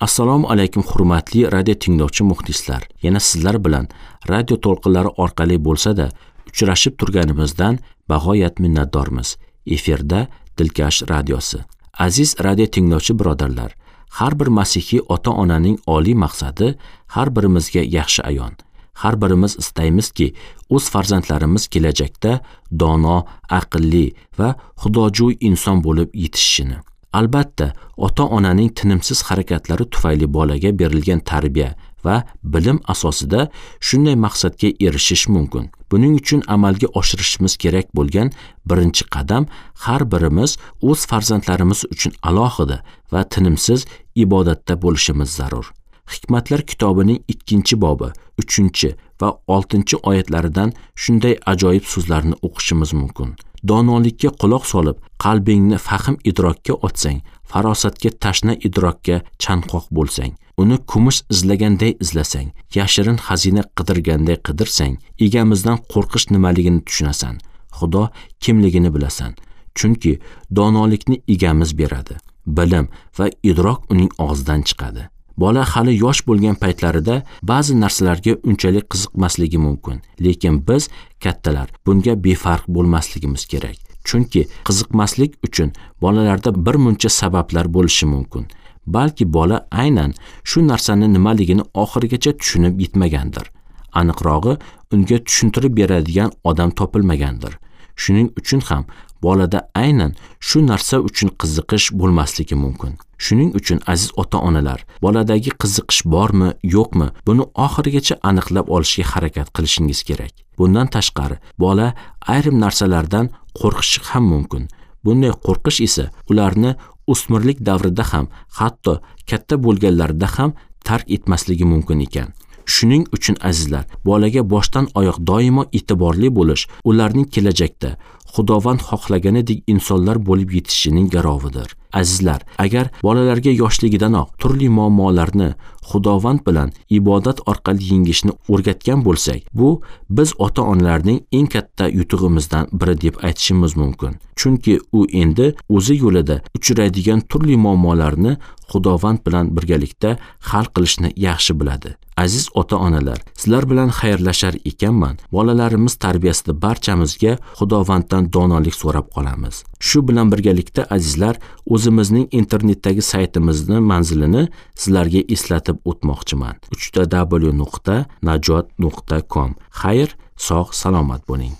Assalomu alaykum hurmatli radio tinglovchi muxlislar. Yana sizlar bilan radio to'lqinlari orqali bo'lsa-da uchrashib turganimizdan bag'oyat minnatdormiz. Efirda Dilkash radiosi. Aziz radio tinglovchi birodarlar, har bir masihiy ota-onaning oliy maqsadi har birimizga yaxshi ayon. Har birimiz istaymizki, o'z farzandlarimiz kelajakda dono, aqlli va xudojo'y inson bo'lib yetishishini. Albatta, ota-onaning tinimsiz harakatlari tufayli bolaga berilgan tarbiya va bilim asosida shunday maqsadga erishish mumkin. Buning uchun amalga oshirishimiz kerak bo'lgan birinchi qadam har birimiz o'z farzandlarimiz uchun alohida va tinimsiz ibodatda bo'lishimiz zarur. Hikmatlar kitobining 2-bobi, 3 va 6 oyatlaridan shunday ajoyib so'zlarni o'qishimiz mumkin. Donolikka quloq solib, qalbingni fahm idrokka otsang, farosatga tashna idrokka chanqoq bo'lsang, uni kumush izlaganday izlasang, yashirin xazina qidirganday qidirsang, egamizdan qo'rqish nimaligini tushunasan, Xudo kimligini bilasan. Chunki donolikni egamiz beradi. Bilim va idrok uning og'zidan chiqadi. Bola hali yosh bo'lgan paytlarida ba'zi narsalarga unchalik qiziqmasligi mumkin, lekin biz kattalar bunga befarq bo'lmasligimiz kerak. Chunki qiziqmaslik uchun bolalarda bir muncha sabablar bo'lishi mumkin. Balki bola aynan shu narsani nimaligini oxirigacha tushunib yetmagandir. Aniqrog'i, unga tushuntirib beradigan odam topilmagandir. Shuning uchun ham bolada aynan shu narsa uchun qiziqish bo'lmasligi mumkin. Shuning uchun aziz ota-onalar, boladagi qiziqish bormi, yo'qmi, buni oxirigacha aniqlab olishga harakat qilishingiz kerak. Bundan tashqari, bola ayrim narsalardan qo'rqishi ham mumkin. Bunday qo'rqish esa ularni o'smirlik davrida ham, hatto katta bo'lganlarida ham tark etmasligi mumkin ekan. Shuning uchun azizlar, bolaga boshdan oyoq doimo e'tiborli bo'lish ularning kelajakda Xudovand xohlaganidek insonlar bo'lib yetishishining garovidir. Azizlar, agar bolalarga yoshligidanoq turli muammolarni Xudovand bilan ibodat orqali yengishni o'rgatgan bo'lsak, bu biz ota-onalarning eng katta yutug'imizdan biri deb aytishimiz mumkin. Chunki u endi o'zi yo'lida uchraydigan turli muammolarni Xudovand bilan birgalikda hal qilishni yaxshi biladi. Aziz ota-onalar, sizlar bilan xayrlashar ekanman, bolalarimiz tarbiyasida barchamizga Xudovanddan donolik so'rab qolamiz. Shu bilan birgalikda azizlar, o'zimizning internetdagi saytimizni manzilini sizlarga eslatib o'tmoqchiman. www.najot.com. Xayr, sog' salomat bo'ling.